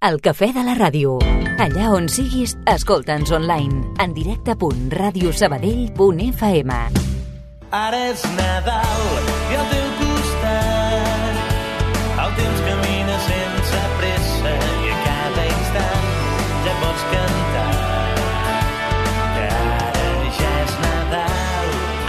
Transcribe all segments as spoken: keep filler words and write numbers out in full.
El cafè de la ràdio. Allà on siguis, escolta'ns online. En directe punt ràdio sabadell punt f m. Ara és Nadal i al teu costat el temps camina sense pressa i a cada instant ja pots cantar que ara ja és Nadal.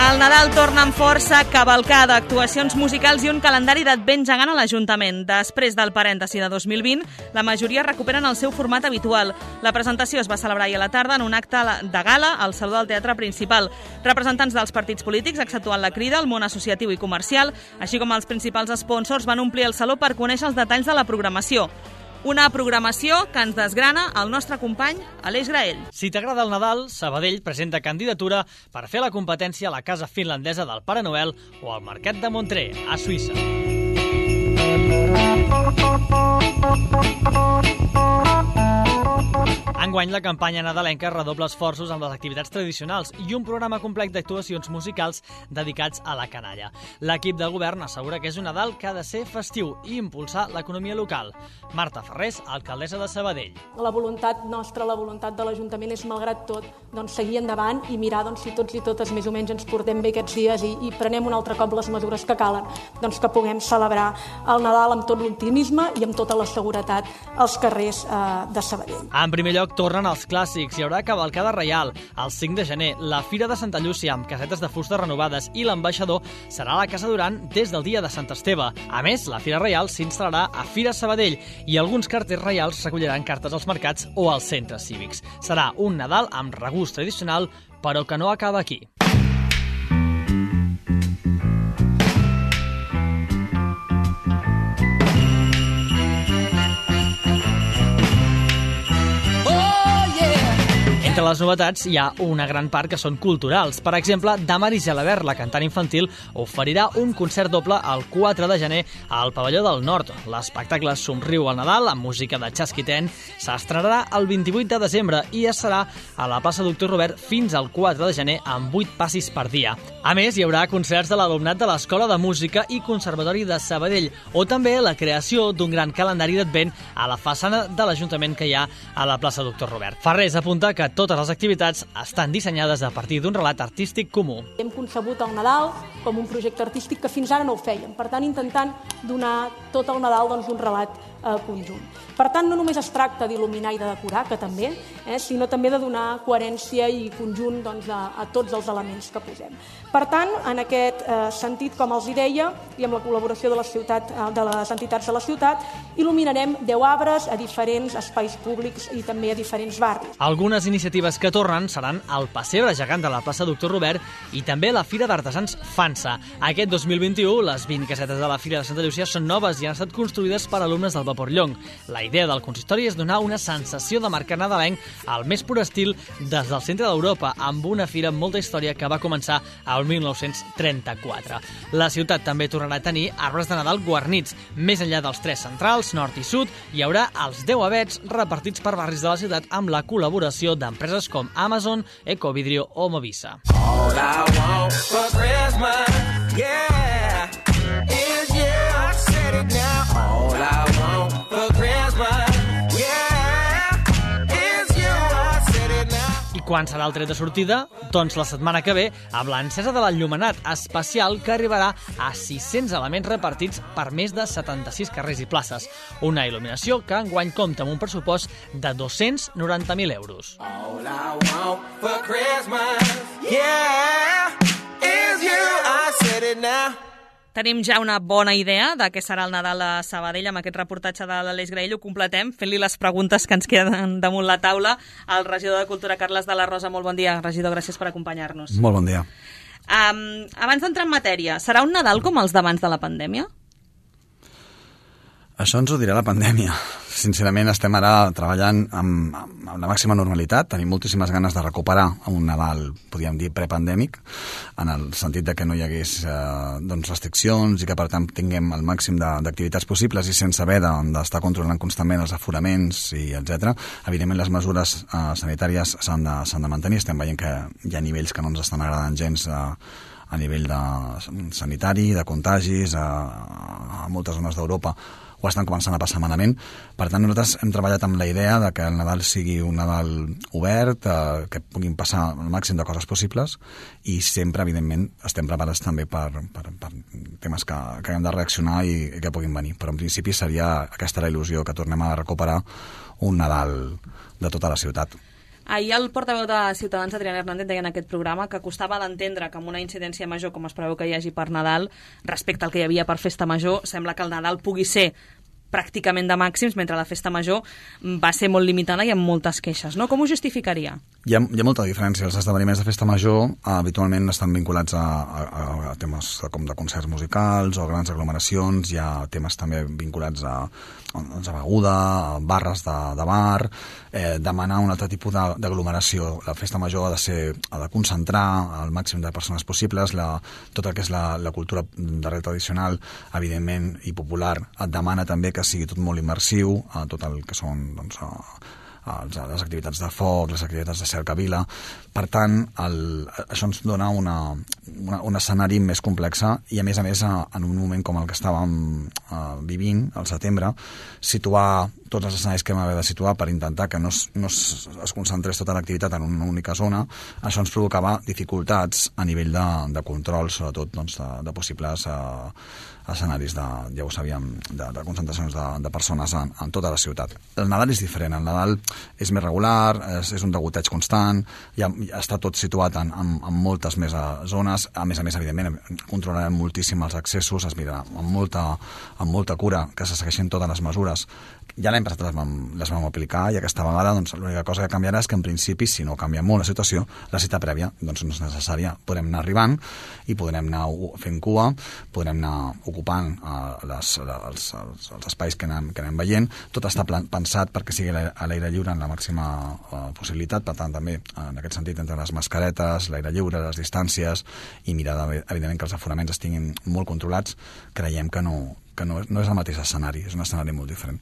El Nadal torna amb força, cavalcada, actuacions musicals i un calendari d'advent gegant a l'Ajuntament. Després del parèntesi de dos mil vint, la majoria recuperen el seu format habitual. La presentació es va celebrar ahir a la tarda en un acte de gala al Saló del Teatre Principal. Representants dels partits polítics, exceptuant la Crida, el món associatiu i comercial, així com els principals sponsors, van omplir el saló per conèixer els detalls de la programació. Una programació que ens desgrana el nostre company Aleix Graell. Si t'agrada el Nadal, Sabadell presenta candidatura per fer la competència a la Casa Finlandesa del Pare Noel o al Mercat de Montreux, a Suïssa. Enguany, la campanya nadalenca redobla esforços amb les activitats tradicionals i un programa complet d'actuacions musicals dedicats a la canalla. L'equip de govern assegura que és un Nadal que ha de ser festiu i impulsar l'economia local. Marta Ferrés, alcaldessa de Sabadell. La voluntat nostra, la voluntat de l'Ajuntament és, malgrat tot, doncs, seguir endavant i mirar doncs, si tots i totes més o menys ens portem bé aquests dies i, i prenem un altre cop les mesures que calen, doncs que puguem celebrar el Nadal amb tot l'optimisme i amb tota la seguretat als carrers eh, de Sabadell. En primer lloc, tornen els clàssics. Hi haurà cavalcada reial el cinc de gener, la Fira de Santa Llúcia amb casetes de fusta renovades i l'ambaixador serà a la Casa Duran des del dia de Sant Esteve. A més, la Fira Reial s'instal·larà a Fira Sabadell i alguns carters reials recolliran cartes als mercats o als centres cívics. Serà un Nadal amb regust tradicional, però que no acaba aquí. Entre les novetats hi ha una gran part que són culturals. Per exemple, Damaris Gelabert, la cantant infantil, oferirà un concert doble el quatre de gener al Pavelló del Nord. L'espectacle Somriu al Nadal, amb música de Chasquiten, s'estrenarà el vint-i-vuit de desembre i es serà a la plaça Doctor Robert fins al quatre de gener amb vuit passis per dia. A més, hi haurà concerts de l'alumnat de l'Escola de Música i Conservatori de Sabadell, o també la creació d'un gran calendari d'advent a la façana de l'Ajuntament que hi ha a la plaça Doctor Robert. Ferrés apunta que totes les activitats estan dissenyades a partir d'un relat artístic comú. Hem concebut el Nadal com un projecte artístic que fins ara no ho fèiem, per tant intentant donar tot el Nadal doncs, un relat eh, conjunt. Per tant, no només es tracta d'il·luminar i de decorar, que també, eh, sinó també de donar coherència i conjunt doncs, a, a tots els elements que posem. Per tant, en aquest eh, sentit, com els deia, i amb la col·laboració de, la ciutat, eh, de les entitats de la ciutat, il·luminarem deu arbres a diferents espais públics i també a diferents barris. Algunes iniciatives que tornen seran el pessebre gegant de la plaça Doctor Robert i també la Fira d'Artesans Fansa. Aquest dos mil vint-i-u, les vint casetes de la Fira de Santa Llúcia són noves i han estat construïdes per alumnes del Vapor Llong. La La idea del consistori és donar una sensació de mercat nadalenc al més pur estil des del centre d'Europa, amb una fira amb molta història que va començar al mil nou-cents trenta-quatre. La ciutat també tornarà a tenir arbres de Nadal guarnits. Més enllà dels tres centrals, nord i sud, hi haurà els deu avets repartits per barris de la ciutat amb la col·laboració d'empreses com Amazon, Ecovidrio o Movisa. All I want for Christmas, yeah, is you, I said it now. All I want for Christmas, yeah, is you, I said it now. I quan serà el tret de sortida? Doncs la setmana que ve, amb l'encesa de l'enllumenat especial que arribarà a sis-cents elements repartits per més de setanta-sis carrers i places. Una il·luminació que enguany compta amb un pressupost de dos-cents noranta mil euros. All I want for Christmas, yeah, is you, I said it now. Tenim ja una bona idea de què serà el Nadal a Sabadell. Amb aquest reportatge de l'Aleix Graell ho completem, fent-li les preguntes que ens queden damunt la taula. El regidor de Cultura, Carles de la Rosa, molt bon dia. Regidor, gràcies per acompanyar-nos. Molt bon dia. Um, abans d'entrar en matèria, serà un Nadal com els d'abans de la pandèmia? Això ens ho dirà la pandèmia. Sincerament, estem ara treballant amb, amb la màxima normalitat. Tenim moltíssimes ganes de recuperar un Nadal, podríem dir, prepandèmic, en el sentit de que no hi hagués eh, doncs restriccions i que, per tant, tinguem el màxim d'activitats possibles i sense haver d'estar de, controlant constantment els aforaments i etcètera. Evidentment, les mesures eh, sanitàries s'han de, s'han de mantenir. Estem veient que hi ha nivells que no ens estan agradant gens eh, a nivell de sanitari, de contagis, a, a moltes zones d'Europa ho estan començant a passar malament. Per tant, nosaltres hem treballat amb la idea de que el Nadal sigui un Nadal obert, eh, que puguin passar el màxim de coses possibles i sempre, evidentment, estem preparats també per, per, per temes que, que hem de reaccionar i, i que puguin venir. Però en principi seria aquesta la il·lusió, que tornem a recuperar un Nadal de tota la ciutat. Ahir el portaveu de Ciutadans, Adrián Hernández, deia en aquest programa que costava d'entendre que amb una incidència major com es preveu que hi hagi per Nadal, respecte al que hi havia per Festa Major, sembla que el Nadal pugui ser pràcticament de màxims, mentre la Festa Major va ser molt limitada i amb moltes queixes, no? Com ho justificaria? Hi ha, hi ha molta diferència. Els esdeveniments de Festa Major eh, habitualment estan vinculats a, a, a temes com de concerts musicals o grans aglomeracions. Hi ha temes també vinculats a, doncs, a beguda, a barres de, de bar, eh, demanar un altre tipus d'aglomeració. La Festa Major ha de, ser, ha de concentrar el màxim de persones possibles. La, tot el que és la, la cultura darrere tradicional, evidentment, i popular, et demana també que sigui tot molt immersiu, a tot el que són doncs, a, a les activitats de foc, les activitats de cercavila. Per tant, el, això ens dona una, una, un escenari més complex i, a més a més, a, en un moment com el que estàvem a, vivint, al setembre, situar tots els escenaris que hem haver de situar per intentar que no es, no es, es concentrés tota l'activitat en una única zona, això ens provocava dificultats a nivell de, de control, sobretot doncs, de, de possibles eh, escenaris de, ja ho sabíem, de, de concentracions de, de persones en, en tota la ciutat. El Nadal és diferent, el Nadal és més regular, és, és un degoteig constant, ja, ja està tot situat en, en, en moltes més zones, a més a més, evidentment, controlarem moltíssim els accessos, es mirarà amb molta, amb molta cura que se segueixin totes les mesures. Ja l'any passat les vam, les vam aplicar i aquesta vegada doncs, l'única cosa que canviarà és que en principi, si no canvia molt la situació, la cita prèvia doncs, no és necessària. Podrem anar arribant i podrem anar fent cua, podrem anar ocupant uh, les, els, els, els espais que anem, que anem veient. Tot està plan, pensat perquè sigui a l'aire lliure en la màxima uh, possibilitat, per tant també en aquest sentit entre les mascaretes, l'aire lliure, les distàncies i mirar evidentment que els aforaments estiguin molt controlats. Creiem que no, que no, no és el mateix escenari, és un escenari molt diferent.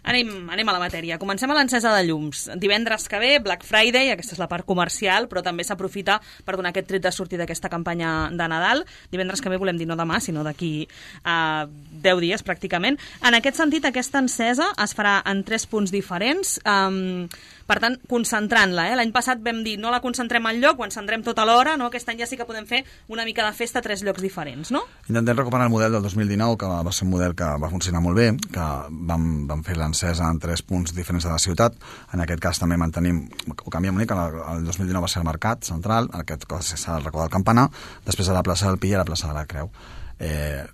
Anem, anem a la matèria. Comencem a l'encesa de llums. Divendres que ve, Black Friday, aquesta és la part comercial, però també s'aprofita per donar aquest tret de sortida d'aquesta campanya de Nadal. Divendres que ve volem dir no demà, sinó d'aquí a deu dies, pràcticament. En aquest sentit, aquesta encesa es farà en tres punts diferents, um, per tant, concentrant-la. Eh? L'any passat vam dir no la concentrem al lloc, ho encendrem tota l'hora, no? Aquest any ja sí que podem fer una mica de festa a tres llocs diferents, no? Intentem recuperar el model del dos mil dinou, que va ser un model que va funcionar molt bé, que vam, vam fer l'encesa en tres punts diferents de la ciutat. En aquest cas també mantenim, ho canviem una mica, el dos mil dinou va ser el Mercat Central, en aquest cas s'ha de recordar el Campanar, després a la plaça del Pi i a la plaça de la Creu. Eh,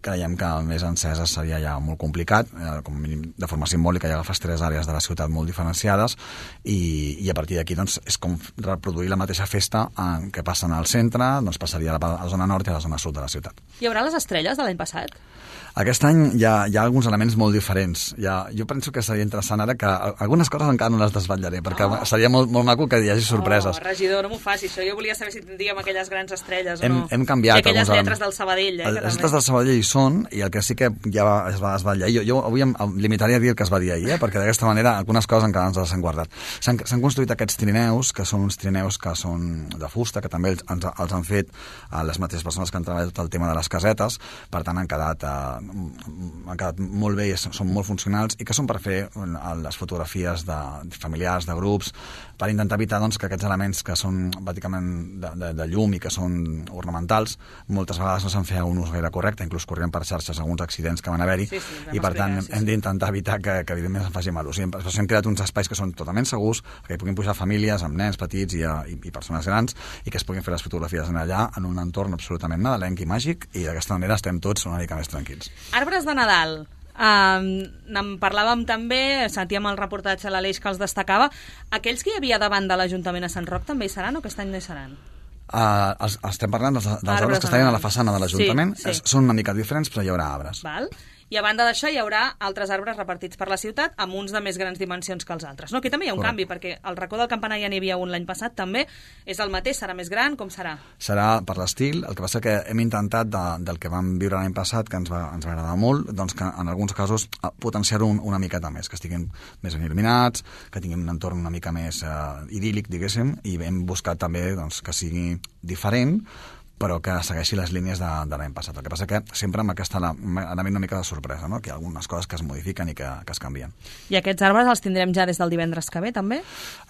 creiem que més enceses seria ja molt complicat, eh, com a mínim de forma simbòlica, ja agafes tres àrees de la ciutat molt diferenciades i, i a partir d'aquí doncs, és com reproduir la mateixa festa en què passen al centre, doncs passaria a la, a la zona nord i a la zona sud de la ciutat. Hi haurà les estrelles de l'any passat? Aquest any hi ha, hi ha alguns elements molt diferents. Ja, jo penso que seria interessant ara que algunes coses encara no les desvetllaré, perquè oh. seria molt, molt maco que hi hagi sorpreses. Oh, regidor, no m'ho faci, això. Jo volia saber si tindríem aquelles grans estrelles hem, o no. Hem canviat. I aquelles lletres del Sabadell. Eh, les lletres del Sabadell hi són, i el que sí que ja es va desvetllar. Jo, jo avui em limitaria a dir el que es va dir ahir, eh, perquè d'aquesta manera algunes coses encara ens les han guardat. S'han construït aquests trineus, que són uns trineus que són de fusta, que també els, els han fet a les mateixes persones que han treballat tot el tema de les casetes, per tant han quedat... Eh, han quedat molt bé, són molt funcionals i que són per fer les fotografies de familiars, de grups, per intentar evitar doncs, que aquests elements que són bàsicament de, de, de llum i que són ornamentals, moltes vegades no se'n feia un ús gaire correcte, inclús corrien per xarxes alguns accidents que van haver-hi, sí, sí, i per tant sí, sí. hem d'intentar evitar que, que evidentment se'n faci mal ús. Hem, hem creat uns espais que són totalment segurs, que hi puguin pujar famílies amb nens petits i, i, i persones grans i que es puguin fer les fotografies en allà en un entorn absolutament nadalenc i màgic, i d'aquesta manera estem tots una mica més tranquils. Arbres de Nadal. Um, en parlàvem també, sentíem el reportatge a l'Aleix que els destacava. Aquells que hi havia davant de l'Ajuntament a Sant Roc també hi seran o aquest any no hi seran? Uh, els, estem parlant dels, dels arbres que estan a la façana de l'Ajuntament. Sí, sí. Són una mica diferents, però hi haurà arbres. Val. I a banda d'això hi haurà altres arbres repartits per la ciutat amb uns de més grans dimensions que els altres. No, aquí també hi ha un Correcte. Canvi, perquè al racó del Campanar ja n'hi havia un l'any passat també. És el mateix? Serà més gran? Com serà? Serà per l'estil. El que passa que hem intentat de, del que vam viure l'any passat, que ens va, ens va agradar molt, doncs que en alguns casos potenciar-ho un, una miqueta més, que estiguin més ben il·luminats, que tinguin un entorn una mica més uh, idíl·lic, diguéssim, i hem buscat també doncs, que sigui diferent, però que segueixi les línies de, de l'any passat. El que passa que sempre amb aquesta anava una mica de sorpresa, no? Que hi ha algunes coses que es modifiquen i que, que es canvien. I aquests arbres els tindrem ja des del divendres que ve, també?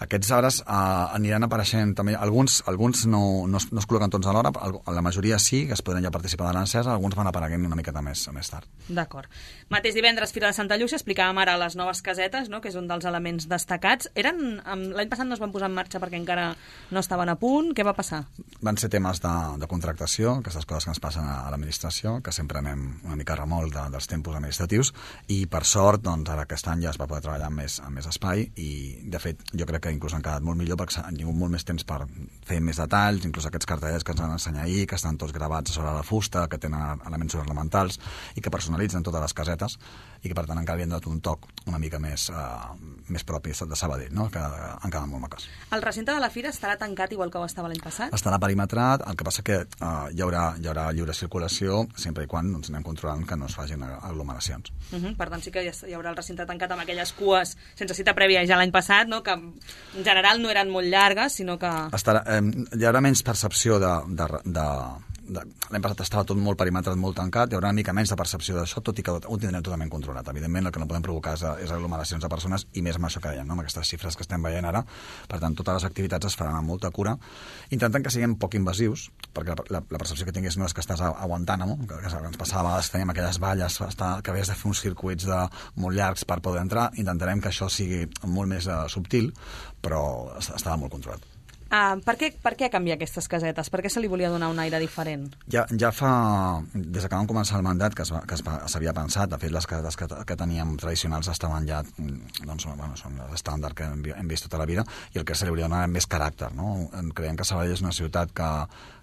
Aquests arbres eh, aniran apareixent també. Alguns, alguns no, no, es, no es col·loquen tots alhora, la majoria sí, que es podran ja participar de l'encesa, alguns van apareguent una miqueta més, més tard. D'acord. Mateix divendres, Fira de Santa Llúcia, explicàvem ara les noves casetes, no? Que és un dels elements destacats. Eren, l'any passat no es van posar en marxa perquè encara no estaven a punt. Què va passar? Van ser temes de, de contractació, aquestes coses que ens passen a, a l'administració, que sempre anem una mica a remolc de, dels tempos administratius, i per sort, doncs, ara aquest any ja es va poder treballar amb més, amb més espai, i de fet jo crec que inclús han quedat molt millor perquè han tingut molt més temps per fer més detalls, inclús aquests cartellets que ens van ensenyar ahir, que estan tots gravats sobre la fusta, que tenen elements ornamentals i que personalitzen totes les casetes, i que per tant encara havien donat un toc una mica més, uh, més propi de Sabadell, no? Que han quedat molt maques. El recinte de la fira estarà tancat igual que ho estava l'any passat? Estarà perimetrat, el que passa que uh, hi, haurà, hi haurà lliure circulació sempre i quan doncs, anem controlant que no es facin aglomeracions. Uh -huh, per tant, sí que hi haurà el recinte tancat amb aquelles cues sense cita prèvia ja l'any passat, no? Que en general no eren molt llargues, sinó que... Estarà, eh, hi haurà menys percepció de... de, de l'any passat estava tot molt perimetrat, molt tancat, hi haurà una mica menys de percepció d'això, tot i que ho tindrem totalment controlat. Evidentment, el que no podem provocar és, és aglomeracions de persones, i més amb això que dèiem, no? Amb aquestes xifres que estem veient ara. Per tant, totes les activitats es faran amb molta cura, intentant que siguin poc invasius, perquè la, la, la percepció que tinguis no és que estàs aguantant, no? Que, que ens passava a vegades, teníem aquelles valles està, que havies de fer uns circuits de, molt llargs per poder entrar. Intentarem que això sigui molt més uh, subtil, però estava molt controlat. Uh, per, què, per què canviar aquestes casetes? Per què se li volia donar un aire diferent? Ja, ja fa... Des que vam començar el mandat que s'havia pensat, de fet les casetes que, que teníem tradicionals estaven ja, doncs, bueno, són l'estàndard que hem, hem vist tota la vida, i el que se li volia donar més caràcter, no? Creiem que Sabadell és una ciutat que,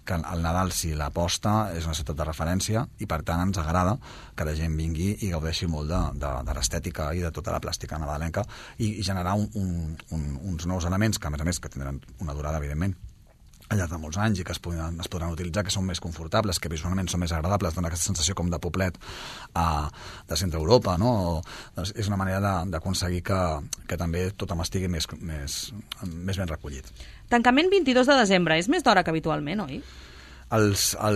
que el Nadal, si l'aposta, és una ciutat de referència, i per tant ens agrada que la gent vingui i gaudeixi molt de, de, de l'estètica i de tota la plàstica nadalenca, i, i generar un, un, un, uns nous elements que, a més a més, que tindran una durada, evidentment, al llarg de molts anys, i que es podran, es podran utilitzar, que són més confortables, que visualment són més agradables, dona aquesta sensació com de poblet uh, de centre Europa, no? Doncs és una manera d'aconseguir que, que també tothom estigui més, més, més ben recollit. Tancament vint-i-dos de desembre, és més d'hora que habitualment, oi? Els, el,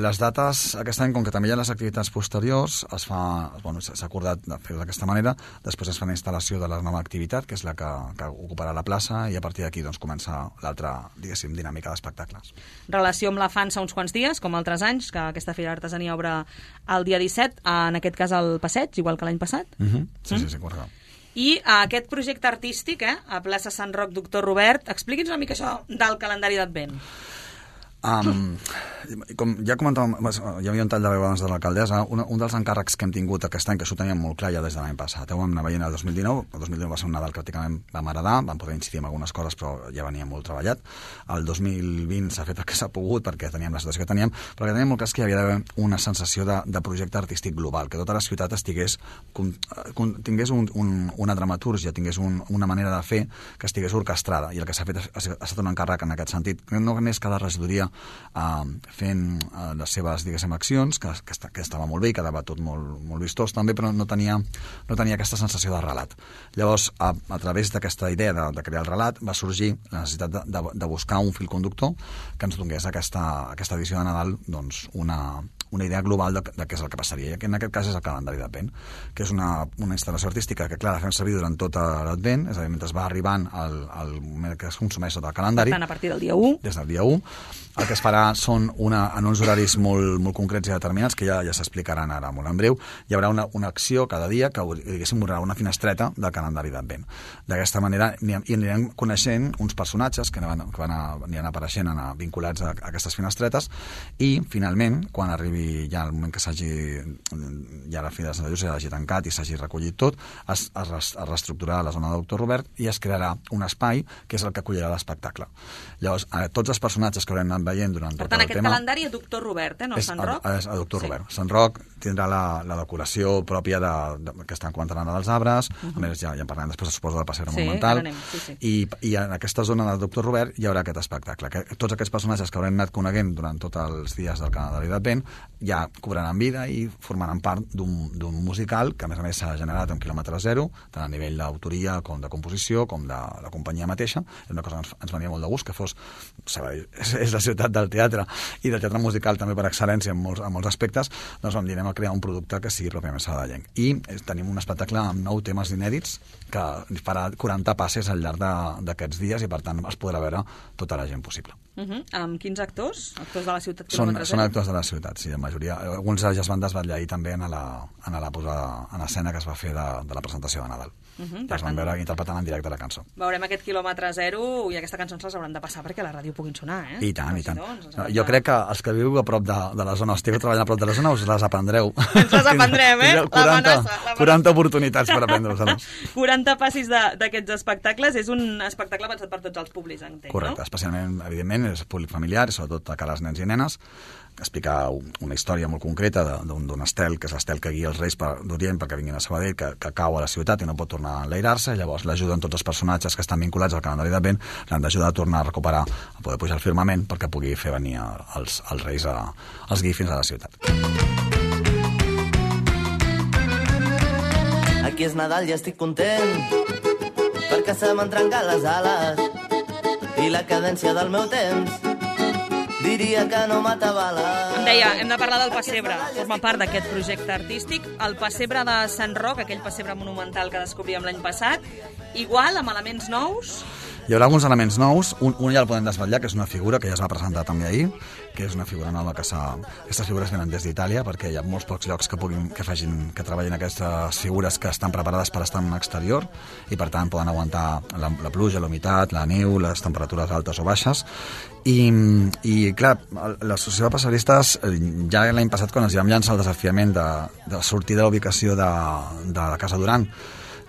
les dates, aquest any, com que també hi ha les activitats posteriors, es fa, bueno, s'ha acordat de fer-ho d'aquesta manera, després es fa la instal·lació de la nova activitat, que és la que, que ocuparà la plaça, i a partir d'aquí doncs, comença l'altra, diguéssim, dinàmica d'espectacles. Relació amb la Fansa uns quants dies, com altres anys, que aquesta Fira d'Artesania obre el dia disset, en aquest cas al Passeig, igual que l'any passat. Uh -huh. Sí, mm? sí, sí, correcte. I aquest projecte artístic, eh, a plaça Sant Roc, doctor Robert, expliqui'ns una mica això del calendari d'Advent. Um, com ja comentàvem, hi havia un tall de veu abans de l'alcaldessa, un, un dels encàrrecs que hem tingut aquest any, que això ho teníem molt clar ja des de l'any passat, ho vam anar veient el dos mil dinou, el dos mil dinou va ser un Nadal que pràcticament vam heredar, vam poder incidir en algunes coses, però ja venia molt treballat. El dos mil vint s'ha fet el que s'ha pogut, perquè teníem la situació que teníem, però que teníem molt clar que hi havia d'haver una sensació de, de projecte artístic global, que tota la ciutat estigués, com, com, tingués un, un, una dramatúrgia, tingués un, una manera de fer que estigués orquestrada, i el que s'ha fet ha, ha estat un encàrrec en aquest sentit, no només cada regidoria Uh, fent uh, les seves, diguéssim, accions, que, que, que estava molt bé i quedava tot molt, molt vistós també, però no tenia, no tenia aquesta sensació de relat. Llavors, a, a través d'aquesta idea de, de crear el relat, va sorgir la necessitat de, de, de buscar un fil conductor que ens donés aquesta, aquesta edició de Nadal doncs, una, una idea global de, de què és el que passaria, i que en aquest cas és el calendari d'Advent, que és una, una instal·lació artística que, clar, la fem servir durant tot l'Advent, és a dir, mentre va arribant el, el moment que es consumeix sota el calendari. Per tant, a partir del dia u. Des del dia u. El que es farà són una, en uns horaris molt, molt concrets i determinats, que ja, ja s'explicaran ara molt en breu. Hi haurà una, una acció cada dia que, diguéssim, haurà una finestreta del calendari d'Advent. D'aquesta manera i anirem coneixent uns personatges que, van, que van a, aniran apareixent a, vinculats a, a aquestes finestretes, i finalment, quan arribi ja el moment que s'hagi, ja la Fira de Santa Llúcia s'hagi tancat i s'hagi recollit tot, es, es, es reestructurarà la zona del doctor Robert i es crearà un espai que és el que acollirà l'espectacle. Llavors, a tots els personatges que haurem anat veient durant per tot tant, el tema... Per tant, aquest calendari a doctor Robert, eh, no és Sant Roc? És a doctor sí. Robert. Sant Roc tindrà la, la decoració pròpia de, de, que estan comentant ara dels arbres, uh -huh. a més ja, ja en parlem després, suposo, del passeig sí, monumental, sí, sí. I, i en aquesta zona del doctor Robert hi haurà aquest espectacle, que tots aquests personatges que haurem anat coneguent durant tots els dies del calendari d'Advent ja cobraran vida i formaran part d'un musical que a més a més s'ha generat en quilòmetre zero, tant a nivell d'autoria com de composició com de la companyia mateixa. És una cosa que ens, ens venia molt de gust, que fos Sabadell, és, és la ciutat del teatre i del teatre musical també per excel·lència en molts, en molts aspectes. Doncs vam dir, anem a crear un producte que sigui pròpiament sabadellenc. I tenim un espectacle amb nou temes inèdits que farà quaranta passes al llarg d'aquests dies i per tant es podrà veure tota la gent possible. Uh -huh. Amb quins actors? Actors de la ciutat? Són, són actors de la ciutat, sí, en majoria. Alguns ja es van desvetllar ahir també en la, en la posada en escena que es va fer de, de la presentació de Nadal. Uh -huh, ja es van veure interpretant en directe la cançó. Veurem aquest quilòmetre zero i aquestes cançons les hauran de passar perquè a la ràdio puguin sonar, eh? I tant, i tant. No, jo crec que els que viu a prop de, de la zona, estigueu treballant a prop de la zona, us les aprendreu. Ens les aprendrem, eh? quaranta, quaranta oportunitats per aprendre-les. quaranta passis d'aquests espectacles. És un espectacle pensat per tots els públics, entenc, correcte, no? Especialment, evidentment, és públic familiar, sobretot a cara als nens i nenes, que explica una història molt concreta d'un estel, que és l'estel que guia els reis d'Orient perquè vinguin a Sabadell, que, que cau a la ciutat i no pot tornar a enlairar-se. Llavors l'ajuden tots els personatges que estan vinculats al calendari d'Advent, l'han d'ajudar a tornar a recuperar, a poder pujar al firmament perquè pugui fer venir els, els reis a, els guiï fins a la ciutat. Aquí és Nadal i estic content perquè se m'han trencat les ales i la cadència del meu temps diria que no m'atabala. Em deia, hem de parlar del pessebre. Forma part d'aquest projecte artístic. El pessebre de Sant Roc, aquell pessebre monumental que descobríem l'any passat, igual, amb elements nous? Hi haurà alguns elements nous. Un, un ja el podem desvetllar, que és una figura que ja es va presentar també ahir, que és una figura nova que s'ha... Aquestes figures venen des d'Itàlia, perquè hi ha molts pocs llocs que puguin, que facin, que treballin aquestes figures que estan preparades per estar en un exterior i, per tant, poden aguantar la, la pluja, la humitat, la neu, les temperatures altes o baixes. I, i clar, l'associació de passeristes ja l'any passat, quan ens vam llançar el desafiament de, de sortir de la ubicació de, de la Casa Duran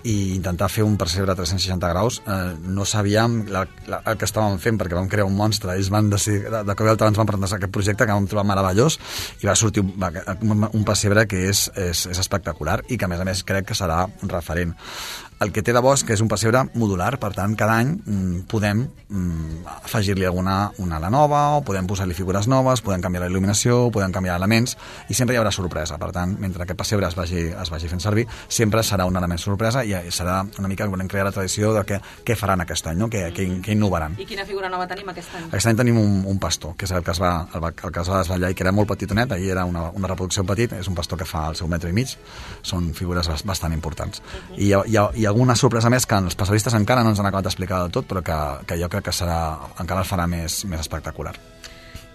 i intentar fer un percebre a tres-cents seixanta graus, eh, no sabíem la, la, el que estàvem fent, perquè vam crear un monstre. Ells van decidir, de, de cop i volta ens van presentar aquest projecte que vam trobar meravellós i va sortir un, un pessebre que és, és, és espectacular i que a més a més crec que serà referent. El que té de bo és que és un pessebre modular, per tant, cada any mm, podem mm, afegir-li alguna una ala nova, o podem posar-li figures noves, podem canviar la il·luminació, podem canviar elements, i sempre hi haurà sorpresa. Per tant, mentre aquest pessebre es vagi, es vagi fent servir, sempre serà un element sorpresa i serà una mica que volem crear la tradició de què, què faran aquest any, no? què, què, què innovaran. I quina figura nova tenim aquest any? Aquest any tenim un, un pastor, que és el que es va, el, el que es va desvetllar i que era molt petitonet, ahir era una, una reproducció petit, és un pastor que fa el seu metre i mig, són figures bastant importants. Uh-huh. I hi ha, hi ha, hi ha alguna sorpresa més que els passeristes encara no ens han acabat d'explicar del tot, però que, que jo crec que serà, encara el farà més, més espectacular.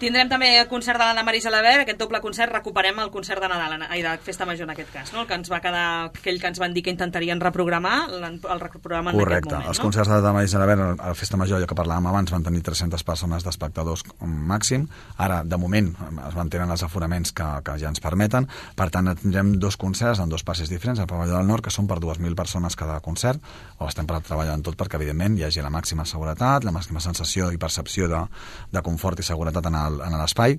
Tindrem també el concert de l'Anna Maria Gelabert, aquest doble concert, recuperem el concert de Nadal, ai, de Festa Major en aquest cas, no? El que ens va quedar, aquell que ens van dir que intentarien reprogramar, el reprogramen en correcte. Aquest moment, Els no? concerts de l'Anna Maria Gelabert a la Festa Major, allò que parlàvem abans, van tenir tres-centes persones d'espectadors màxim. Ara, de moment, es mantenen els aforaments que, que ja ens permeten. Per tant, tindrem dos concerts en dos passes diferents al Pavelló del Nord, que són per dues mil persones cada concert. Ho estem treballant tot perquè, evidentment, hi hagi la màxima seguretat, la màxima sensació i percepció de, de confort i seguretat en l'espai,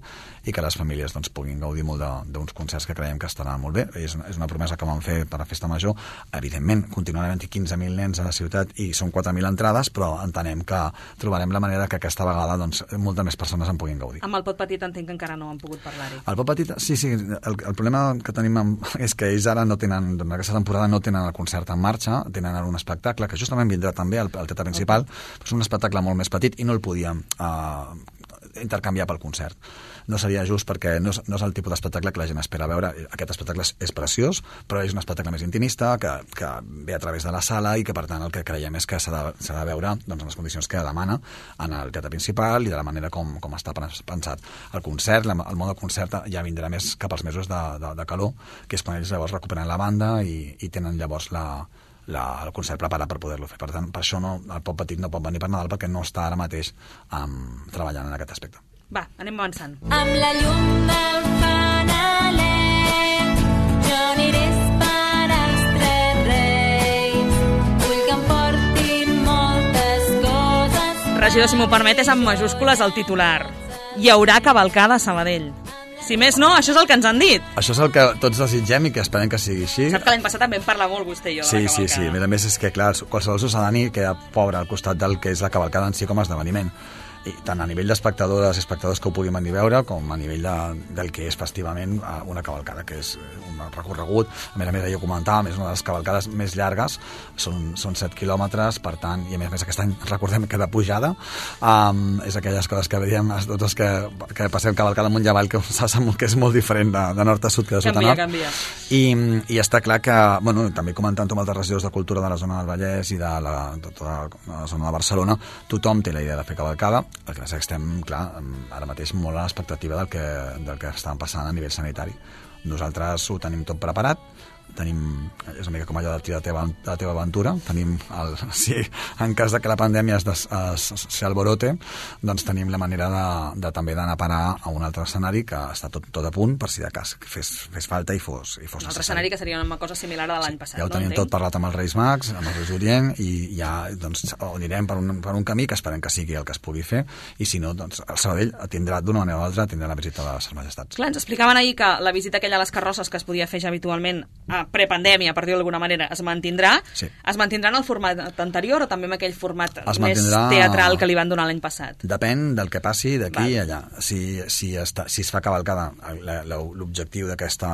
i que les famílies doncs, puguin gaudir molt d'uns concerts que creiem que estaran molt bé. És una, és una promesa que vam fer per a Festa Major. Evidentment, continuaran havent-hi quinze mil nens a la ciutat i són quatre mil entrades, però entenem que trobarem la manera que aquesta vegada doncs, moltes més persones en puguin gaudir. Amb el Pot Petit entenc que encara no han pogut parlar-hi. El Pot Petit, sí, sí. El, el problema que tenim amb, és que ells ara no tenen, en aquesta temporada no tenen el concert en marxa, tenen ara un espectacle que justament vindrà també al, al teatre principal, okay. És un espectacle molt més petit i no el podíem eh, intercanviar pel concert. No seria just perquè no és, no és el tipus d'espectacle que la gent espera veure. Aquest espectacle és, és preciós, però és un espectacle més intimista, que, que ve a través de la sala i que, per tant, el que creiem és que s'ha de, s'ha de veure doncs, en les condicions que demana en el teatre principal i de la manera com, com està pensat. El concert, el món del concert ja vindrà més cap als mesos de, de, de calor, que és quan ells llavors recuperen la banda i, i tenen llavors la, la, el concert preparat per poder-lo fer. Per tant, per això no, el Pot Petit no pot venir per Nadal perquè no està ara mateix um, treballant en aquest aspecte. Va, anem avançant. Amb la llum del fanaler jo aniré per als tres reis. Vull que em portin moltes coses. Regidor, si m'ho permet, és amb majúscules el titular. Hi haurà cavalcada a Sabadell. Si més no, això és el que ens han dit. Això és el que tots desitgem i que esperem que sigui així. Sap que l'any passat també en parla molt vostè i jo sí, de la cavalcada. Sí, sí, sí. A més és que, clar, qualsevol ciutadà queda pobre al costat del que és la cavalcada en si com a esdeveniment. i tant a nivell d'espectadores i espectadors que ho puguin venir a veure, com a nivell de, del que és festivament una cavalcada, que és un recorregut. A més a més, jo comentava, és una de les cavalcades més llargues, són, són set quilòmetres, per tant, i a més a més aquest any recordem que de pujada, um, és aquelles coses que veiem tots els que, que passem cavalcada amunt i avall, que, que és molt diferent de, de nord a sud que de sud a nord. Canvia, canvia. I, i està clar que, bueno, també comentant amb altres regidors de cultura de la zona del Vallès i de la, de tota la zona de Barcelona, tothom té la idea de fer cavalcada. El que passa és que estem, clar, ara mateix molt a l'expectativa del que, del que estan passant a nivell sanitari. Nosaltres ho tenim tot preparat, tenim, és una mica com allò de la teva, la teva aventura, tenim el, si en cas de que la pandèmia es, des, es, s'alborote, doncs tenim la manera de, de també d'anar a parar a un altre escenari que està tot, tot a punt per si de cas fes, fes falta i fos, i fos un altre necessari. escenari que seria una cosa similar a l'any passat. Ja ho tenim no? tot parlat amb els Reis Mags, amb els Reis Orient, i ja doncs, anirem per un, per un camí que esperem que sigui el que es pugui fer, i si no, doncs el Sabadell tindrà d'una manera o altra tindrà la visita de les Majestats. Clar, ens explicaven ahir que la visita aquella a les carrosses que es podia fer ja habitualment a prepandèmia, per dir-ho d'alguna manera, es mantindrà. Sí. Es mantindrà en el format anterior o també en aquell format Es més mantindrà- teatral que li van donar l'any passat? Depèn del que passi d'aquí i Val. allà. Si, si, està, si es fa cavalcada, la- la- l'objectiu d'aquesta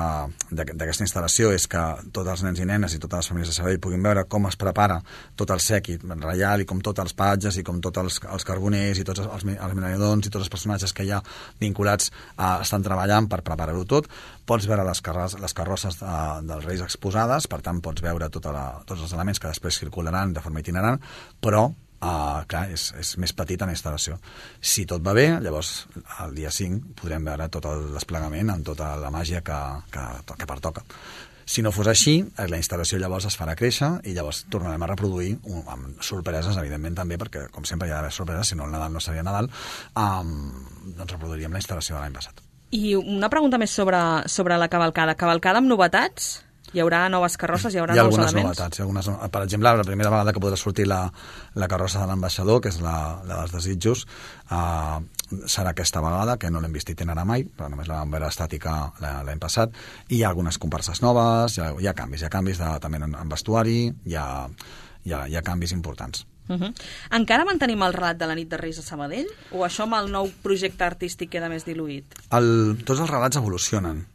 d'aquesta instal·lació és que tots els nens i nenes i totes les famílies de Sabadell puguin veure com es prepara tot el sèquit reial i com tots els patges i com tots els, els carboners i tots els, els menedons i tots els personatges que hi ha vinculats a, estan treballant per preparar-ho tot. Pots veure les, carres, les carrosses de, dels Reis exposades, per tant pots veure tota la, tots els elements que després circularan de forma itinerant, però Uh, clar, és, és més petita la instal·lació. Si tot va bé, llavors el dia cinc podrem veure tot el desplegament amb tota la màgia que, que, que pertoca. Si no fos així, la instal·lació llavors es farà créixer i llavors tornarem a reproduir un, amb sorpreses, evidentment també, perquè com sempre hi ha d'haver sorpreses, si no el Nadal no seria Nadal, um, doncs reproduiríem la instal·lació de l'any passat. I una pregunta més sobre, sobre la cavalcada. Cavalcada amb novetats? Hi haurà noves carrosses, hi haurà hi ha nous algunes elements? novetats. Hi ha algunes, per exemple, la primera vegada que podrà sortir la, la carrossa de l'ambaixador, que és la, la dels desitjos, uh, serà aquesta vegada, que no l'hem vist itinerar mai, però només la vam veure estàtica l'any passat, i hi ha algunes comparses noves, hi ha, hi ha canvis, hi ha canvis de, també en, en vestuari, hi ha, hi, ha, hi ha canvis importants. Uh -huh. Encara mantenim el relat de la nit de Reis a Sabadell? O això amb el nou projecte artístic queda més diluït? El, tots els relats evolucionen.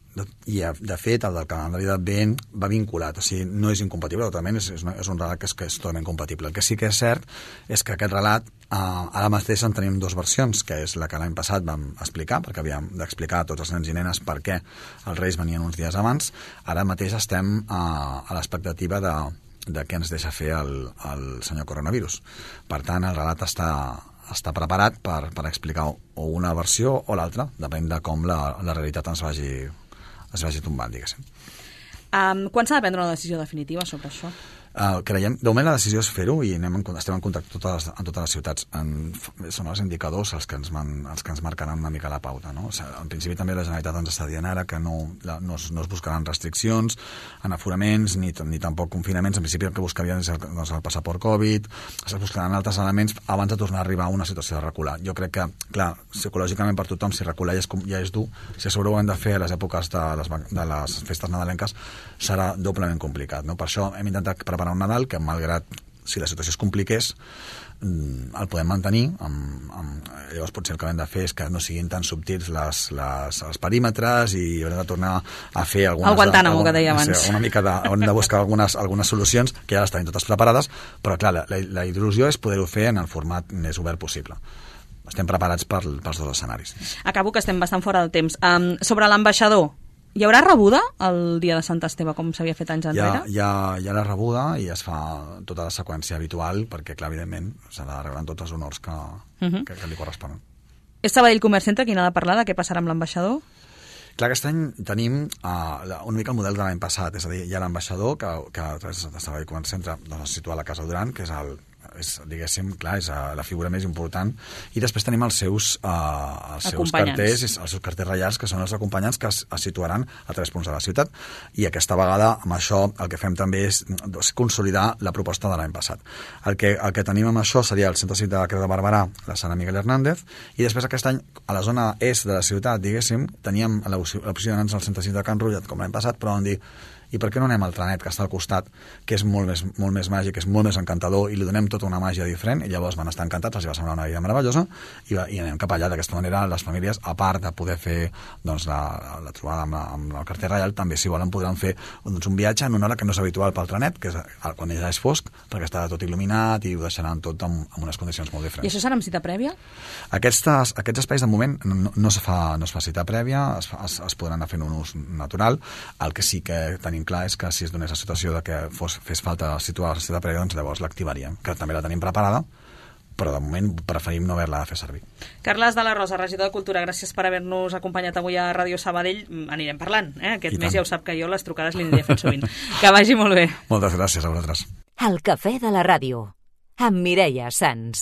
I, de fet, el del calendari d'Advent va vinculat, o sigui, no és incompatible, totalment, és, és, una, és un relat que és, que és totalment compatible. El que sí que és cert és que aquest relat, eh, ara mateix en tenim dues versions, que és la que l'any passat vam explicar, perquè havíem d'explicar a tots els nens i nenes per què els Reis venien uns dies abans. Ara mateix estem eh, a l'expectativa de, de què ens deixa fer el, el senyor coronavirus. Per tant, el relat està... està preparat per, per explicar o una versió o l'altra, depèn de com la, la realitat ens vagi, es vagi tombant, diguéssim. Um, quan s'ha de prendre una decisió definitiva sobre això? Uh, creiem, de moment la decisió és fer-ho i anem en, estem en contacte amb totes, amb totes les ciutats. En, són els indicadors els que, ens man, els que ens marcaran una mica la pauta. No? O sigui, en principi també la Generalitat ens està dient ara que no, la, no, es, no es buscaran restriccions en aforaments ni, ni tampoc confinaments. En principi el que buscarien és el, doncs, el passaport Covid, es buscaran altres elements abans de tornar a arribar a una situació de recular. Jo crec que, clar, psicològicament per tothom, si recular ja és, ja és dur, si a sobre ho hem de fer a les èpoques de les, de les festes nadalenques, serà doblement complicat. No? Per això hem intentat preparar un Nadal que, malgrat si la situació es compliqués, el podem mantenir. Amb, amb, llavors potser el que hem de fer és que no siguin tan subtils les, les, els perímetres i haurem de tornar a fer algunes... El Guantánamo, algun, que deia abans. Sí, una mica de, hem de buscar algunes, algunes solucions que ja les tenim totes preparades, però clar, la, la, la il·lusió és poder-ho fer en el format més obert possible. Estem preparats per, pels dos escenaris. Acabo, que estem bastant fora del temps. Um, sobre l'ambaixador, hi haurà rebuda el dia de Sant Esteve, com s'havia fet anys enrere? Hi ha, hi, ha, hi ha la rebuda i es fa tota la seqüència habitual, perquè, clar, evidentment, s'ha de rebre tots els honors que, uh -huh. que, que li corresponen. És Sabadell Comerç Centre qui n'ha de parlar de què passarà amb l'ambaixador? Clar, aquest any tenim uh, una mica el model de l'any passat, és a dir, hi ha l'ambaixador que, que a través de Sabadell Comerç Centre doncs, es situa a la Casa Duran, que és el és, diguéssim, clar, és la figura més important, i després tenim els seus, uh, els seus carters, els seus carters reials, que són els acompanyants que es, es situaran a tres punts de la ciutat, i aquesta vegada amb això el que fem també és doncs, consolidar la proposta de l'any passat. El que, el que tenim amb això seria el Centre Cívic de Creu de Barberà, la sala Miguel Hernández, i després aquest any a la zona est de la ciutat, diguéssim, teníem l'opció d'anar-nos al Centre Cívic de Can Rullet com l'any passat, però vam dir i per què no anem al Trenet, que està al costat, que és molt més, molt més màgic, és molt més encantador, i li donem tota una màgia diferent, i llavors van estar encantats, els va semblar una idea meravellosa, i, va, i anem cap allà. D'aquesta manera, les famílies, a part de poder fer doncs, la, la trobada amb, la, amb el carter reial, també, si volen, podran fer doncs, un viatge en una hora que no és habitual pel Trenet, que és quan ja és fosc, perquè està tot il·luminat i ho deixaran tot en, en unes condicions molt diferents. I això serà amb cita prèvia? Aquestes, aquests espais, de moment, no, no, es fa, no es fa cita prèvia, es, es, es podran anar fent un ús natural. El que sí que tenim clar és que si es donés la situació de que fos, fes falta situar la cita prèvia, doncs llavors l'activaríem, que també la tenim preparada, però de moment preferim no haver-la de fer servir. Carles de la Rosa, regidor de Cultura, gràcies per haver-nos acompanyat avui a Ràdio Sabadell. Anirem parlant, eh? Aquest mes ja ho sap que jo les trucades li aniré fent sovint. Que vagi molt bé. Moltes gràcies a vosaltres. El cafè de la ràdio, amb Mireia Sans.